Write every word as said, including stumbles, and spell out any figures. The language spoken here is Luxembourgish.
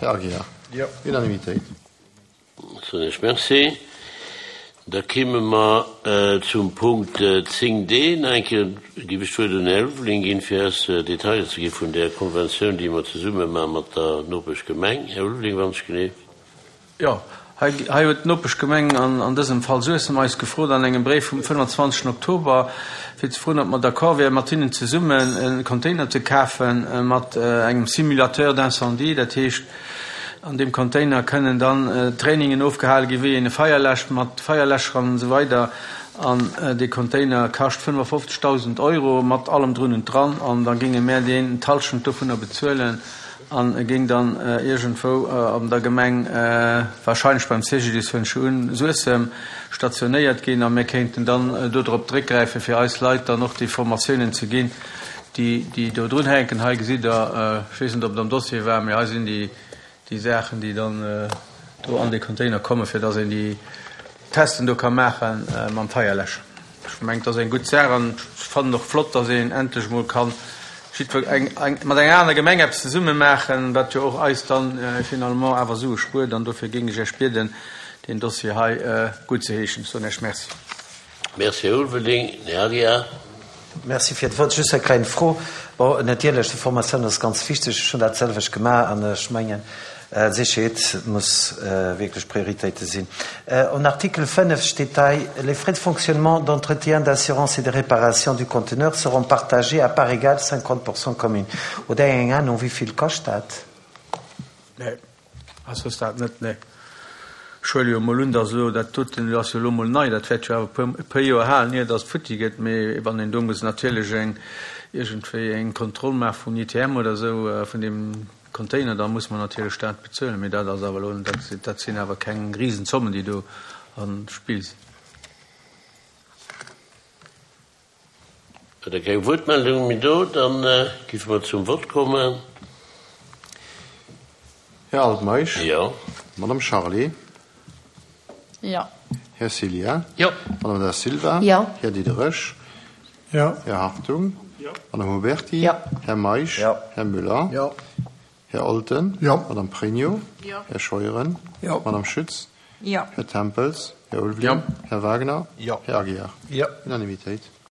Här Aguiar. Jo. Unanimitéit. Soen ech Merci. Da kimme mer zum Punkt zéng D. Nach eng Kéier géif ech d'Wuert un den Här Ulveling ginn, fir eis Detailer ze gi vun där Konventioun, déi mer zesumme maache mat der Nopeschgemeng. Här Ulveling, wann ech genee. Jo, hei hei huet d'Nopeschgemeng, an an dësem Fall Suessem, eis gefrot an engem Bréif vum fënnwanzwanzegsten Oktober, fir ze froen, ob mer d'accord wären, mat hinnen zesummen e Container ze kafe mat engem Simulateur d'incendie. Dat heescht, an deem Container kënnen dann Trainingen ofgehale ginn, wéi een e Feier läscht mat Feierläscher an esou weider. An dee Container kascht fënnefafofzegdausend Euro mat allem drun und dran. An da géinge mär deen d'Hallschent dovunner bezuelen an e géing dann iergendwou an der Gemeng, wahrscheinlech beim C G D I S huelen ech un, Suessem, stationéiert ginn. A mir kéinten dann dodrop zréckgräifen, fir eis Leit dann och déi Formatiounen ze ginn, déi déi do drun hänken. Hei gesitt Der, ech weess net, ob et am Dossier war, mee hei sinn déi déi Saachen, déi dann do an dee Container kommen, fir dass een déi Testen do ka maache mam Feierläscher. Ech mengen, dat ass eng gutt Saach an ech fannen och flott, dass een endlech emol kann jiddwer eng eng mat enger aner Gemeng eppes zesumme maachen, wat jo och eis dann finalement awer Sue spuert. An dofir géing ech Iech bieden, deen Dossier hei guttzeheeschen. Ech soen Iech Merci. Merci, Här Ulveling. Här Aguiar. Merci fir d'Wuert. Just eng kleng Fro. Bon, natierlech, déi Formatioun ass ganz wichteg. Ech hunn dat selwecht gemaach an ech mengen, d'Sécherheet muss wierklech Prioritéite sinn. En Artikel fënnef steet hei: Les frais de fonctionnement, d'entretien, d'assurance et de réparation du conteneur seront partagés à part égale cinquante pour cent commune. Hutt Der eng Ahnung, wéi vill kascht dat? Nee, ass ass dat net, nee. Ech huele jo emol un, datt elo dat doten, dat ass jo elo emol nei, dat wäert jo awer e puer, e puer Joer halen, ier datt et futti gëtt. Mee wann een do muss natierlech eng, iergendwéi eng Kontroll maache vum I T M oder esou vun deem Container, da muss mer natierlech dat bezuelen. Mee dat ass awer elo, dat, dat sinn awer keng Risenzommen, déi do am Spill sinn. Huet Der keng Wuertmeldung méi do, da géife mer zum Vott kommen. Här Altmeisch. Jo. Madame Charlé. Jo. Här Cillien. Jo. Madame Da Silva. Jo. Här Diderich. Jo. Här Hartung. Jo. Madame Huberti. Jo. Här Meisch. Jo. Här Müller. Jo. Här Olten. Jo. Madame Pregno. Jo. Här Scheuren. Jo. Madame Schütz. Jo. Här Tempels. Här Ulveling. Jo. Här Wagner. Jo. Här Aguiar. Jo. Unanimitéit.